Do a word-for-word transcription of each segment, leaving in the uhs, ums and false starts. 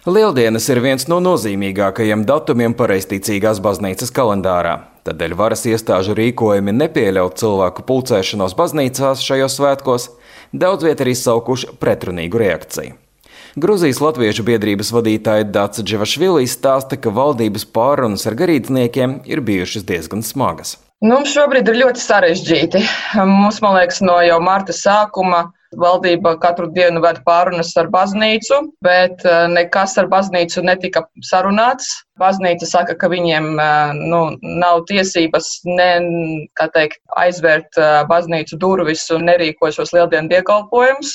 Lieldienas ir viens no nozīmīgākajiem datumiem pareizticīgās baznīcas kalendārā. Tādēļ varas iestāžu rīkojumi nepieļaut cilvēku pulcēšanos baznīcās šajos svētkos daudz viet ir izsaukuši pretrunīgu reakciju. Gruzijas latviešu biedrības vadītāja Dace Dživašvili stāsta, ka valdības pārunas ar garīdzniekiem ir bijušas diezgan smagas. Nu, šobrīd ir ļoti sarežģīti. Mums, man liekas, no jau marta sākuma valdība katru dienu ved pārunas ar baznīcu, bet nekas ar baznīcu netika sarunāts. Baznīca saka, ka viņiem nu, nav tiesības ne, kā teikt, aizvērt baznīcu durvis un nerīko šos lieldienu dievkalpojumus.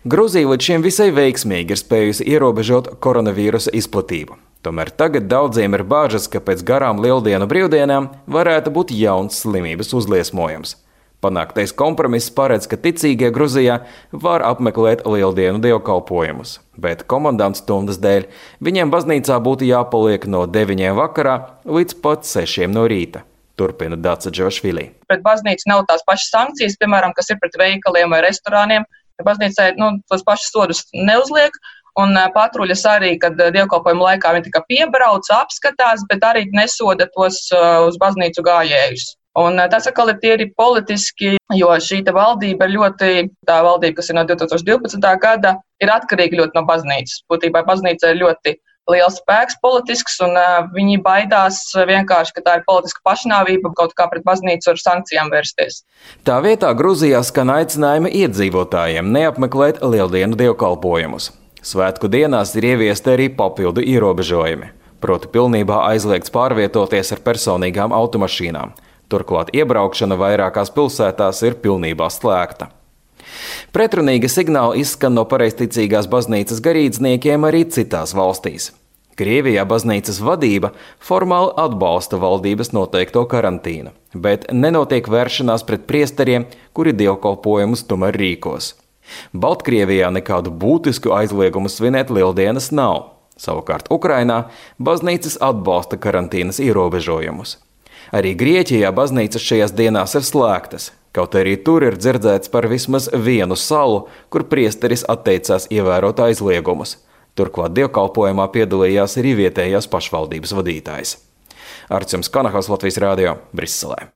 Gruzija līdz šim visai veiksmīgi ir spējusi ierobežot koronavīrusa izplatību. Tomēr tagad daudziem ir bāžas, ka pēc garām lieldienu brīvdienām varētu būt jauns slimības uzliesmojums. Panāktais kompromiss paredz, ka ticīgie Gruzijā var apmeklēt lieldienu dievkalpojumus, bet komandantu stundas dēļ viņiem baznīcā būtu jāpaliek no deviņiem vakarā līdz pat sešiem no rīta. Turpina Dace Dživašvili. Pret baznīcu nav tās pašas sankcijas, piemēram, kas ir pret veikaliem vai restorāniem. Baznīcai nu, tos pašus sodus neuzliek. Un patruļas arī, kad dievkalpojuma laikā viņi tikai piebrauc, apskatās, bet arī nesoda tos uz baznīcu gājējus. Un tas atkal ir tīri politiski, jo šī valdība ir ļoti, tā valdība, kas ir no divi tūkstoši divpadsmitā gada, ir atkarīga ļoti no baznīcas. Būtībā baznīca ir ļoti liels spēks politisks, un viņi baidās vienkārši, ka tā ir politiska pašnāvība kaut kā pret baznīcu ar sankcijām vērsties. Tā vietā Gruzijā skan aicinājumi iedzīvotājiem neapmeklēt lieldienu dievkalpojumus. Svētku dienās ir ieviesti arī papildu ierobežojumi, proti pilnībā aizliegts pārvietoties ar personīgām automašīnām. Turklāt iebraukšana vairākās pilsētās ir pilnībā slēgta. Pretrunīgi signāli izskan no pareizticīgās baznīcas garīdzniekiem arī citās valstīs. Krievijā baznīcas vadība formāli atbalsta valdības noteikto karantīnu, bet nenotiek vēršanās pret priesteriem, kuri dievkalpojumus tomēr rīkos. Baltkrievijā nekādu būtisku aizliegumu svinēt lieldienas nav. Savukārt Ukrainā baznīcas atbalsta karantīnas ierobežojumus. Arī Grieķijā baznīcas šajās dienās ir slēgtas, kaut arī tur ir dzirdēts par vismaz vienu salu, kur priesteris atteicās ievērot aizliegumus. Turklāt dievkalpojumā piedalījās arī vietējās pašvaldības vadītājs. Artjums Kanahos, Latvijas radio, Briselē.